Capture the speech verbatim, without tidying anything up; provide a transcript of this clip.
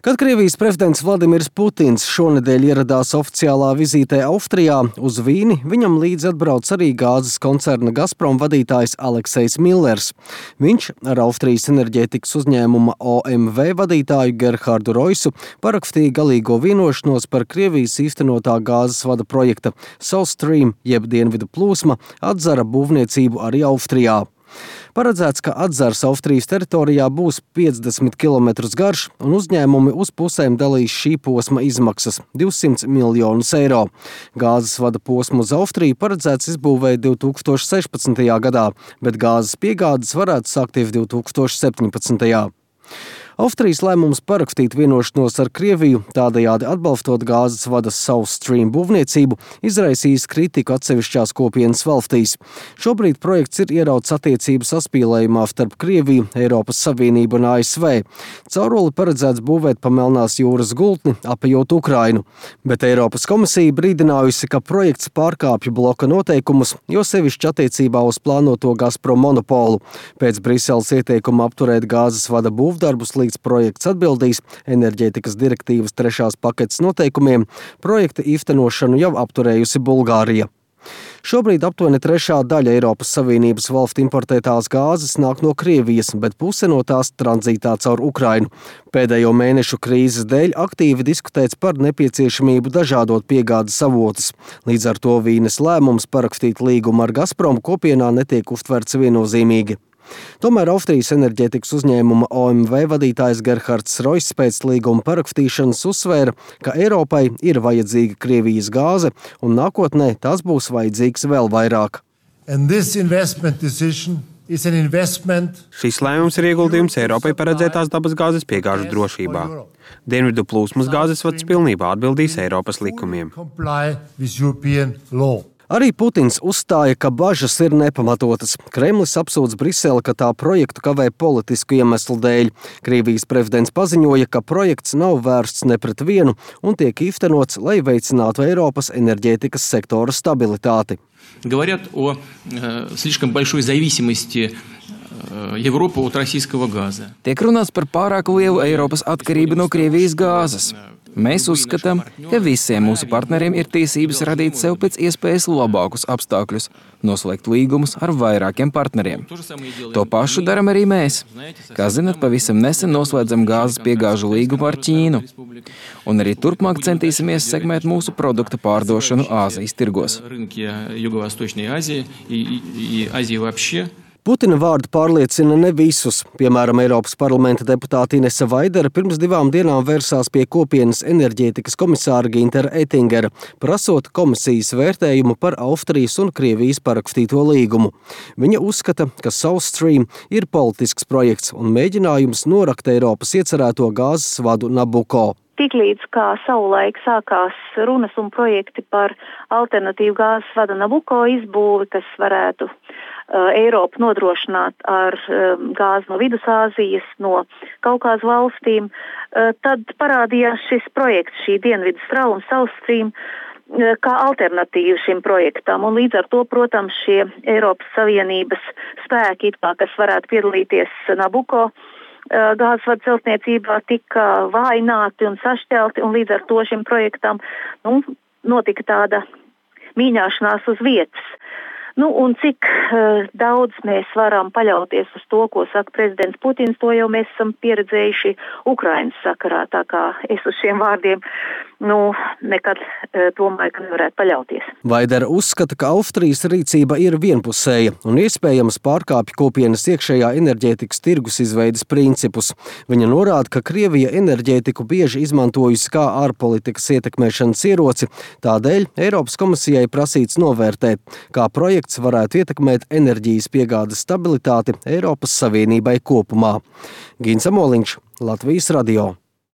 Kad Krievijas prezidents Vladimirs Putins šonedēļ ieradās oficiālā vizītē Austrijā uz Vīni, viņam līdzi atbrauc arī gāzes koncerna Gazprom vadītājs Aleksejs Millers. Viņš ar Austrijas enerģētikas uzņēmuma O M V vadītāju Gerhardu Roisu parakstīja galīgo vienošanos par Krievijas īstenotā gāzes vada projekta South Stream jeb Dienvidu plūsma atzara būvniecību arī Austrijā. Paredzēts, ka atzars Austrijas teritorijā būs piecdesmit kilometrus garš un uzņēmumi uz pusēm dalīs šī posma izmaksas – divsimt miljonus eiro. Gāzes vada posmu uz Austriju paredzēts izbūvēt divi tūkstoši sešpadsmitajā gadā, bet gāzes piegādes varētu sākties divi tūkstoši septiņpadsmitajā. Austrijas lēmums parakstīt vienošanos ar Krieviju, tādējādi atbalstot gāzes vadas South Stream būvniecību, izraisījis kritiku atsevišķās kopienas valstīs. Šobrīd projekts ir ierauts attiecību saspīlējumā starp Krieviju, Eiropas Savienību un A S V. Cauruli paredzēts būvēt pa Melnās jūras gultni, apejot Ukrainu. Bet Eiropas komisija brīdinājusi, ka projekts pārkāpj bloka noteikumus, jo sevišķi attiecībā uz plānoto Gazprom monopolu. Pēc Briseles ieteikuma apturēt gāzes vada būvdarbus līdz projekts atbildīs enerģētikas direktīvas trešās paketes noteikumiem, projekta īstenošanu jau apturējusi Bulgārija. Šobrīd aptuveni trešā daļa Eiropas Savienības valstu importētās gāzes nāk no Krievijas, bet puse no tās tranzītā caur Ukrainu. Pēdējo mēnešu krīzes dēļ aktīvi diskutēts par nepieciešamību dažādot piegādes avotus. Līdz ar to Vīnes lēmums parakstīt līgumu ar Gazprom kopienā netiek uztverts viennozīmīgi. Tomēr Austrijas enerģētikas uzņēmuma O M V vadītājs Gerhards Roiss pēc līguma parakstīšanas uzsvēra, ka Eiropai ir vajadzīga Krievijas gāze un nākotnē tas būs vajadzīgs vēl vairāk. Šis lēmums ir ieguldījums Eiropai paredzētās dabas gāzes piegāžu drošībā. Dienvidu plūsmas gāzes vads pilnībā atbildīs Eiropas likumiem. Arī Putins uzstāja, ka bažas ir nepamatotas. Kremlis apsūdz Briseli, ka tā projektu kavē politisku iemeslu dēļ. Krievijas prezidents paziņoja, ka projekts nav vērsts ne pret vienu un tiek īstenots, lai veicinātu Eiropas enerģētikas sektora stabilitāti. Говорят о э, слишком большой зависимости Европы от российского газа. Tiek runāts par pārāk lielu Eiropas atkarību no Krievijas gāzes. Mēs uzskatām, ka visiem mūsu partneriem ir tiesības radīt sev pēc iespējas labākus apstākļus, noslēgt līgumus ar vairākiem partneriem. To pašu daram arī mēs. Kā zināt, pavisam nesen noslēdzam gāzes piegāžu līgumu ar Ķīnu. Un arī turpmāk centīsimies sekmēt mūsu produktu pārdošanu Āzijas tirgos. Putina vārdi pārliecina ne visus. Piemēram, Eiropas parlamenta deputāte Inese Vaidere pirms divām dienām vērsās pie kopienas enerģētikas komisāra Gintera Ettingera, prasot komisijas vērtējumu par Austrijas un Krievijas parakstīto līgumu. Viņa uzskata, ka South Stream ir politisks projekts un mēģinājums norakt Eiropas iecerēto gāzes vadu Nabuko. Tiklīdz kā savulaik sākās runas un projekti par alternatīvu gāzes vada Nabuko izbūvi, kas varētu uh, Eiropu nodrošināt ar uh, gāzi no Vidusāzijas, no Kaukāzu valstīm, uh, tad parādījās šis projekts, šī Dienvidu strauma South Stream, uh, kā alternatīva šim projektam. Un līdz ar to, protams, šie Eiropas Savienības spēki, it kā, kas varētu piedalīties Nabuko gāzes vadu celtniecībā, tika vājināti un sašķelti, un līdz ar to šim projektam nu, notika tāda mīņāšanās uz vietas. Nu, un cik uh, daudz mēs varam paļauties uz to, ko saka prezidents Putins, to jau mēs esam pieredzējuši Ukrainas sakarā, tā kā es uz šiem vārdiem nu, nekad uh, domāju, ka nevarētu paļauties. Vaidere uzskata, ka Austrijas rīcība ir vienpusēja un iespējams pārkāpj kopienas iekšējā enerģētikas tirgus izveides principus. Viņa norāda, ka Krievija enerģētiku bieži izmantojusi kā ārpolitikas ietekmēšanas ieroci, tādēļ Eiropas komisijai prasīts novērtēt, kā projekts varētu ietekmēt enerģijas piegādes stabilitāti Eiropas Savienībai kopumā. Gins Amoliņš, Latvijas radio.